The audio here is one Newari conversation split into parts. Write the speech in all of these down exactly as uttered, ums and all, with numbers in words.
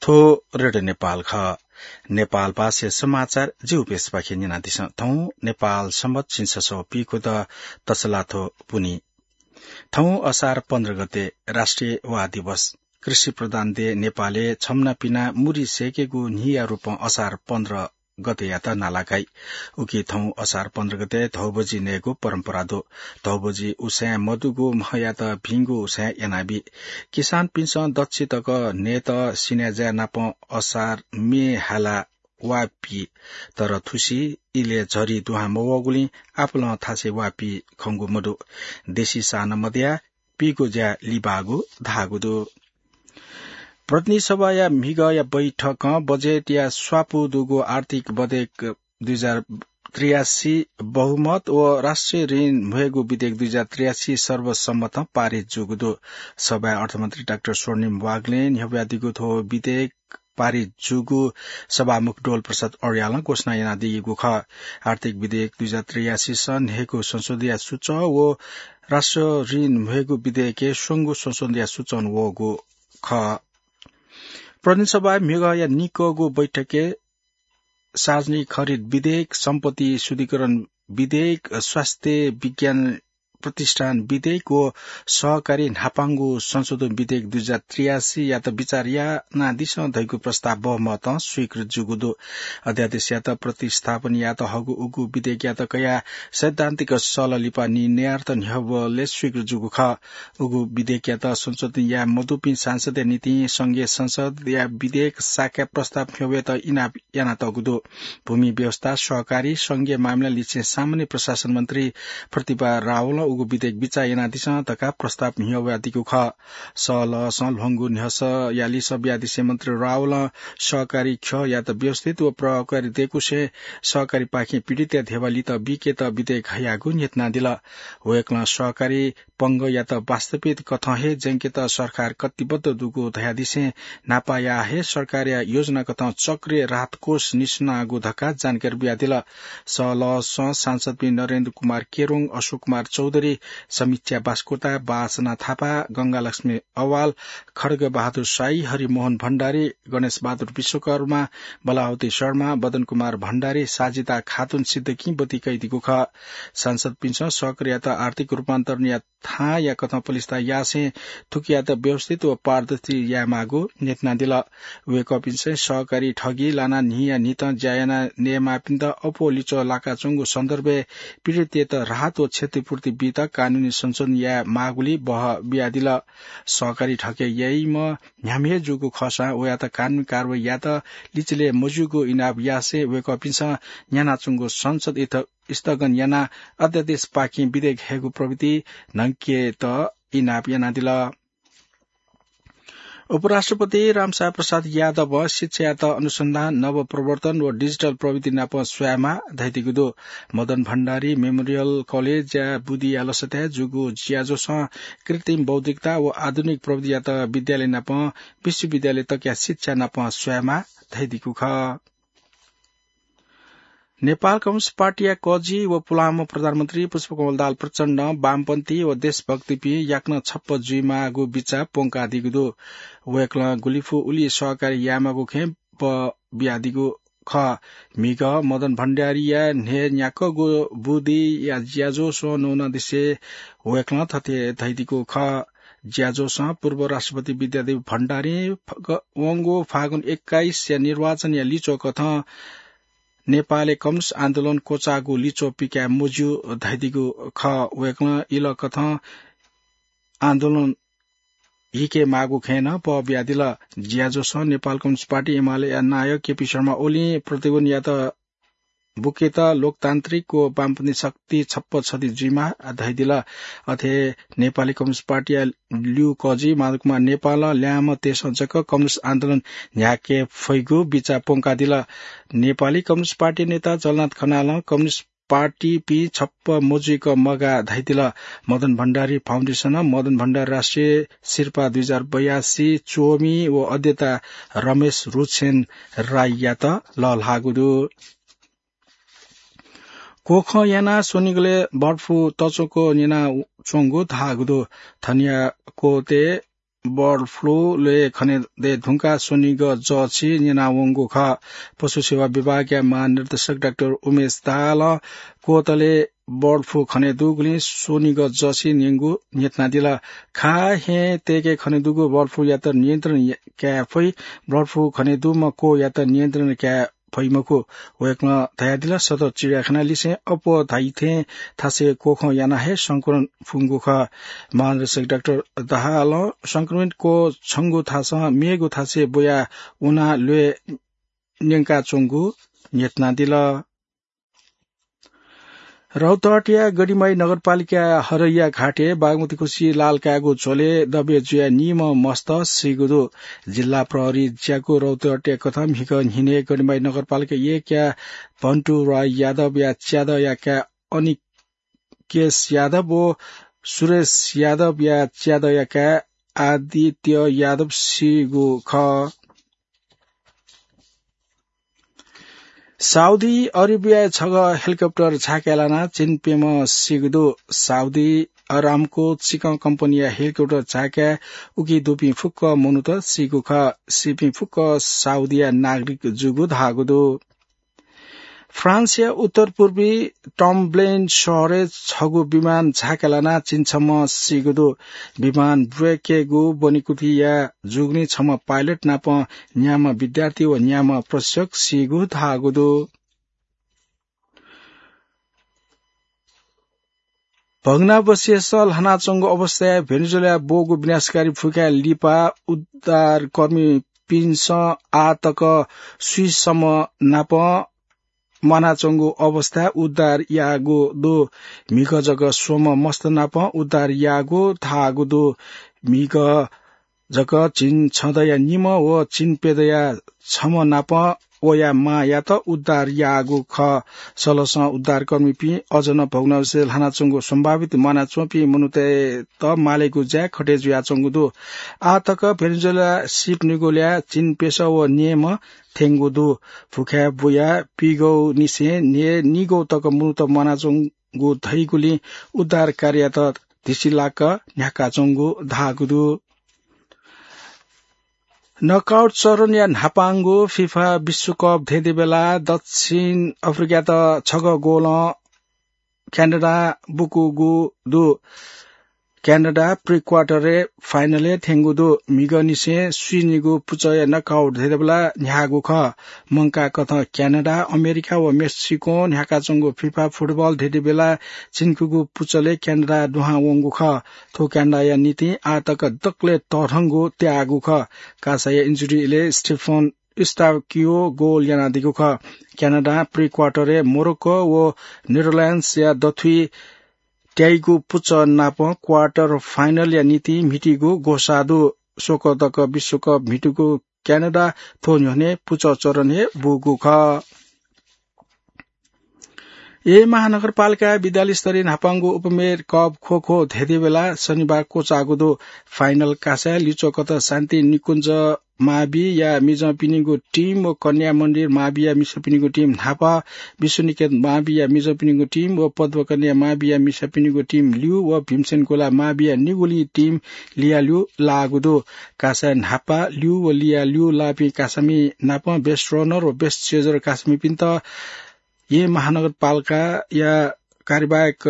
थ्व रेडियो नेपाल खः। नेपाल भाषाया समाचार जिगु प्यसःपाखें न्यनादिसँ। थौं नेपाल संवत् झिंछसः पीखुद तसलाथ्व पुन्हि। थौं असार पन्ध्र गते राष्ट्रिय वाः दिवस। कृषि प्रधान देश नेपालय् छम्हना पिना मुरी सय्केगु न्हिया रूपं असार पन्ध्र गतेयात नालाकाइ। उकी थौं असार पन्ध्र गते धौबजि नयेगु परम्परा दु। धौबजि उसाँय् मदुगु म्हयात भिंगु उसाँय् यानाबी। किसानपिन्सं दच्छि तक नयेत सिनाज्या नाप असार मे हाला वाः पी, तर थुसी इलय् झरी दुहां मवःगुलिं आपालं थासय् वाः पी खंगु मदु। देशी साः नं मदयाः पीगु ज्या लिबाःगु धाःगु दु। प्रतिनिधि सभाया म्हिगःया बैठकं बजेटया स्वापू दुगु आर्थिक विधेयक दुई हजार त्रियासी बहुमत व राष्ट्रिय ऋण म्ह्वयेगु विधेयक दुई हजार त्रियासी सर्वसम्मतं पारित जूगु दु। सभाय् अर्थमन्त्री डाक्टर स्वर्णिम वाग्लें न्ह्यब्वयादीगु थ्व विधेयक पारित जूगु सभामुख डोल प्रसाद अर्यालं घोषणा यानादीगु खः। आर्थिक विधेयक दुई हजार त्रियासी सं न्हय्गू संशोधनया सूचं व राष्ट्रिय ऋण म्ह्वयेगु विधेयकय् स्वंगू संशोधनया सूचं वःगु खः। प्रतिनिधि सभाय् म्हिगःया निकःगु बैठकय् सार्वजनिक खरिद विधेयक, सम्पत्ति शुद्धिकरण विधेयक, स्वास्थ्य विज्ञान प्रतिष्ठान विधेयक व सहकारी न्हापांगु संशोधन विधेयक दुई हजार त्रियासीयात विचार यानादिसँ धइगु प्रस्ताव बहुमतं स्वीकृत जूगु दु। अध्यादेशयात प्रतिस्थापन यात हःगु उगु विधेयकयात कयाः सैद्धान्तिक सल्लाह लिपा निर्णयार्थ न्ह्यब्वलय् स्वीकृत जूगु खः। उगु विधेयकयात संशोधन याये मदुपिं सांसदया निंतिं संघीय संसदया विधेयक शाखा प्रस्ताव न्ह्यब्वयेत इनाप यानातःगु दु। भूमि व्यवस्था, सहकारी, संघीय मामिला लिसें सामान्य प्रशासन मन्त्री प्रतिभा रावलं उगु विधेयक बिचाः यानादिसँ धकाः प्रस्ताव न्ह्यब्वयादीगु खः। सल्लाहं ल्ह्वंगु न्ह्यसःया लिसः बियादिसें मन्त्री रावलं सहकारी ख्यःयात व्यवस्थित व प्रभावकारी दयेकुसें सहकारीपाखें पीडितया धेबा लित बीकेत विधेयक हयागु न्ह्यथनादिल। वय्कलं सहकारी पंगःयात वास्तविक कथं हे ज्यंकेत सरकार कटिबद्ध दुगु धयादिसें न्हापाया हे सरकारया योजना कथं चक्रीय राहत कोष निस्वनागु धकाः जानकारी बियादिल। सल्लाहं सांसदपिं नरेन्द्र कुमार केरुङ, अशोक कुमार चौधरी, समीक्षा बास्कोटा, बासना थापा, गंगालक्ष्मी अवाल, खड्ग बहादुर शाही, हरिमोहन भण्डारी, गणेश बहादुर विश्वकर्मा, बलावती शर्मा, बदन कुमार भण्डारी, साजिदा खातुन सिद्दकिं ब्वति कयादीगु खः। सांसदपिन्सं सहकारीयात आर्थिक रूपान्तरणया थाँया कथं पलिस्था यासें थुकियात व्यवस्थित व पारदर्शी यायेमाःगु न्ह्यथनादिल। वय्कःपिन्सं सहकारी ठगी लानाः न्हिया न्हितं ज्या याना नयेमाःपिन्त अप्वः लिच्वः लाकाच्वंगु सन्दर्भय् पीडितयात राहत व क्षतिपूर्ति बीत कानूनी संशोधन यायेमाःगुलिइ बहः बियादिल। सहकारी ठगी याइम्ह न्ह्याम्ह हे जूगु खःसां वयात कानूनी कारवाही यायेत लिचिले मज्यूगु इनाप यासें वय्कःपिन्सं न्ह्यानाच्वंगु संसद इथ स्थगन यानाः अध्यादेशपाखें विधेयक हयेगु प्रवृत्ति न्हंकेत इनाप यानादिल। उपराष्ट्रपति रामसाय प्रसाद यादवं शिक्षायात अनुसन्धान, नवप्रवर्तन व डिजिटल प्रविधि नाप स्वयेमाः धयादीगु दु। मदन भण्डारी मेमोरियल कलेजया बुदिया लसताय् जूगु ज्याझ्वलय् कृत्रिम बौद्धिकता व आधुनिक प्रविधियात विद्यालय नाप विश्वविद्यालय तकया शिक्षा नाप स्वयेमाः धयादीगु खः। नेपाल कम्युनिस्ट पार्टीया कजि व पुलांम्ह प्रधानमन्त्री पुष्पकमल दाहाल प्रचण्डं वामपन्थी व देशभक्तिपिं याकनं छप्पँ जुइमाःगु बिचाः प्वंकादीगु दु। वय्कलं गुलिफु उलि सहकार्य यायेमाःगु खँय् बः बियादीगु खः। म्हिगः मदन भण्डारीया न्हय् न्याक्वःगु बुदिया ज्याझ्वलय् न्वनादिसें वय्कलं थथे धयादीगु खः। ज्याझ्वलय् पूर्व राष्ट्रपति विद्यादेवी भण्डारीं फग-, वंगु फागुन एक्काइसया निर्वाचनया लिच्वः कथं नेपालय् कम्युनिस्ट आन्दोलन क्वचाःगु लिच्वः पिकाये मज्यू धयादीगु खः। वय्कलं इलः कथं आन्दोलन हिकेमाःगु खँय् नं बः बियादिल। ज्याझ्वलय् नेपाल कम्युनिस्ट पार्टी एमालेया नायः केपी शर्मा ओलीं प्रतिगमनयात बुकेत लोकतान्त्रिक व वामपन्थी शक्ति छप्पँ छधी जुइमाः धयादिल। अथे नेपाली कम्युनिस्ट पार्टीया ल्यू कजि माधव कुमार नेपालं ल्याय्म्हतय्सं जक कम्युनिस्ट आन्दोलन न्ह्याके फइगु बिचाः प्वंकादिल। नेपाली कम्युनिस्ट पार्टी नेता जलनाथ खनालं कम्युनिस्ट पार्टीपिं छप्पँ मजुइक मगाः धयादिल। मदन भण्डारी फाउन्डेसनं मदन भण्डारी राष्ट्रिय सिरपाः दुई हजार बयासी च्वमि व अध्येता रमेश रुचेन राईयात लःल्हाःगु दु। क्वखं यानाः स्वनिगलय् बर्ड फ्लू तच्वंक न्यनाच्वंगु धाःगु दु। थनिया क्वतय् बर्ड फ्लू ल्वय् खनेदये धुंकाः स्वनिगः जःछि न्यनावंगु खः। पशु सेवा विभागया महानिर्देशक डाक्टर उमेश दाहालं क्वतले बर्ड फ्लू खने दुगुलिं स्वनिगः जःछि न्यंगु न्ह्यथनादिल। खाहेँ तय्के खने दुगु बर्ड फ्लूयात नियन्त्रण या-, काये फइ। बर्ड फ्लू खने दुम्ह क्वयात नियन्त्रण काये फइ मखु। वय्कलं धयादिल, सदर चिडियाखाना लिसें अप्वः धाइथें थासय् क्वखं यानाः हे संक्रमण फुंगु खः। महानिर्देशक डाक्टर दाहालं संक्रमित क्वछंगु थासं मेगु थासय् ब्वया वनाः ल्वय् न्यंकाच्वंगु न्ह्यथनादिल। रौतहटया गढीमाई नगरपालिका हरैया घाटय् बागमती खुसि लाल कायेगु झ्वलय् दबे जुयाः निम्ह मस्त सीगु दु। जिल्ला प्रहरी ज्याकू रौतहटया कथं म्हिगः न्हिनय् गढीमाई नगरपालिका एकया भन्टु राय यादवया च्यादँया काय् अनिकेश यादव व सुरेश यादवया च्यादँया काय् आदित्य यादव सीगु खः। साउदी अरेबियाय् छगः हेलिकप्टर झाकाय् लानाः चिनप्यम्ह सीगु दु। साउदी अरामको चिकं कम्पनीया हेलिकप्टर झाकाय् उकी दुपिं फुक्क मनूत सीगु खः। सीपिं फुक्क साउदीया नागरिक जूगु धाःगु दु। फ्रान्सया उत्तर पूर्वी टम्ब्लेन शहरय् छगू विमान झाकाय् लानाः चिन्छम्ह सीगु दु। विमान ब्रेकेगु ब्वनेकुथिया जूगुलिं छम्ह पाइलट नाप न्याम्ह विद्यार्थी व न्याम्ह प्रशिक्षक सीगु धाःगु दु। भग्नावशेष ल्हानाच्वंगु अवस्थाय् भेनेजुएलाय् ब्वःगु विनाशकारी फुक्कया लिपा उद्धारकर्मीपिन्सं आः तक स्वीसम्म नाप म्वानाच्वंगु अवस्थाय् उद्धार याःगु दु। म्हिगः जक स्वम्ह मस्त नाप उद्धार याःगु धाःगु दु। म्हिगः जक झिंछदँया निम्ह व झिंप्यदँया छम्ह नाप वया मांयात उद्धार याःगु खः। सलसं उद्धारकर्मीपिं अझ नं भग्नावशेष ल्हानाच्वंगु सम्भावित म्वानाच्वंपिं मनूतय्त मालेगु ज्या खटे जुयाच्वंगु दु। आः तक भेनेजुएला सिप निगू ल्याः झिंप्यसः व न्येम्ह थ्यंगु दु। फुक्कया ब्वया पीगःनिसें न्हय् निगू तक मनूत म्वानाच्वंगु धइगुलिं उद्धार कार्ययात धिसिलाक न्ह्याकाच्वंगु धाःगु दु। नकआउट चरणया न्हापांगु फिफा विश्वकप धेंधेंबेला दक्षिण अफ्रिकायात छगः गोलं क्यानाडां बुकूगु दु। क्यानाडा प्रि क्वार्टरय् फाइनलय् थ्यंगु दु। म्हिगःनिसें स्वीनिगू पुचःया नकआउट धेंधेंबेला न्ह्याःगु खः। मंकाःकथं क्यानाडा, अमेरिका व मेक्सिकों न्ह्याकाच्वंगु फिफा फुटबल धेंधेंबेला चिन्कूगु पुचलय् क्यानाडा दुहां वंगु खः। थ्व क्यानाडाया निंतिं आः तक दकलय् तःधंगु त्याःगु खः। कासाया इन्जुरी इलय् स्टेफन युस्ताकियो गोल यानादीगु खः। क्यानाडां प्रि क्वार्टरय् मोरोक्को व नेदरल्याण्ड्सया दथुइ त्याइगु पुचः नाप क्वार्टर फाइनलया निंतिं म्हितीगु ग्वसाः दु। स्वकः तक विश्वकप म्हितूगु क्यानाडा थ्व न्ह्यःने पुचः चरणय् बूगु खः। येँ महानगरपालिकाया विद्यालय स्तरीय न्हापांगु उपमेयर कप ख्वख्व धेंधेंबेला शनिबार क्वचाःगु दु। फाइनल कासाय् लिच्वःकथं शान्ति निकुञ्ज माविया मिजंपिनिगु टिम व कन्या मन्दिर माविया मिसापिनिगु टिम न्हापा, विश्वनिकेतन माविया मिजंपिनिगु टिम व पद्मकन्या माविया मिसापिनिगु टिम ल्यू व भीमसेन गोला माविया निगुलिं टिम लियाल्यू लाःगु दु। कासाय् न्हापा ल्यू व लियाल्यू लाःपिं कासामि नाप बेस्ट रनर व बेस्ट चेजर कासामिपिन्त येँ महानगरपालिकाया कार्यवाहक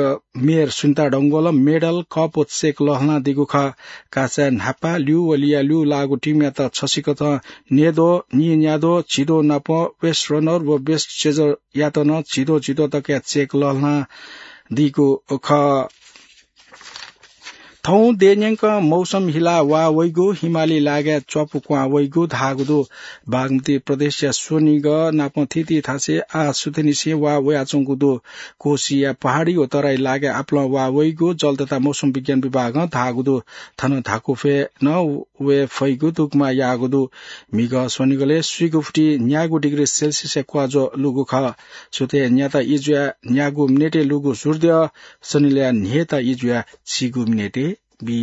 मेयर सुनिता डंगोलं मेडल, कप व चेक लःल्हानादीगु खः। कासाय् न्हापा ल्यू व लियाल्यू लाःगु टिमयात छसिकथं न्येद्वः, नीन्याद्वः, झिद्वः नाप बेस्ट रनर व बेस्ट चेजरयात नं झिद्वः झिद्वः तकया चेक लःल्हानादीगु खः। थौं देय्‌न्यंक मौसम हिलाः वा वइगु, हिमाली लागाय् च्वापु क्वहां वइगु धाःगु दु। बागमती प्रदेशया स्वनिगः नाप थीथी थासय् आः सुथंनिसें वा वयाच्वंगु दु। कोसीया पहाडी व तराई लागाय् आपालं वा वइगु जल तथा मौसम विज्ञान विभागं धाःगु दु। थन धाकुफय् नं वये फइगु दुग्मा याःगु दु। म्हिगः स्वनिगलय् स्वीगू फुति न्यागू डिग्री सेल्सियसया क्वाज्वः लूगु खः। सुथय् न्याता ई जुयाः न्यागू मिनेटय् लूगु सूर्यद्यः सनिलय् न्हय्‌ता ई जुयाः झिगू मिनेटय् बी।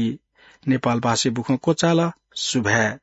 नेपालभाषी बुखँ क्वचाल। सुभाय्।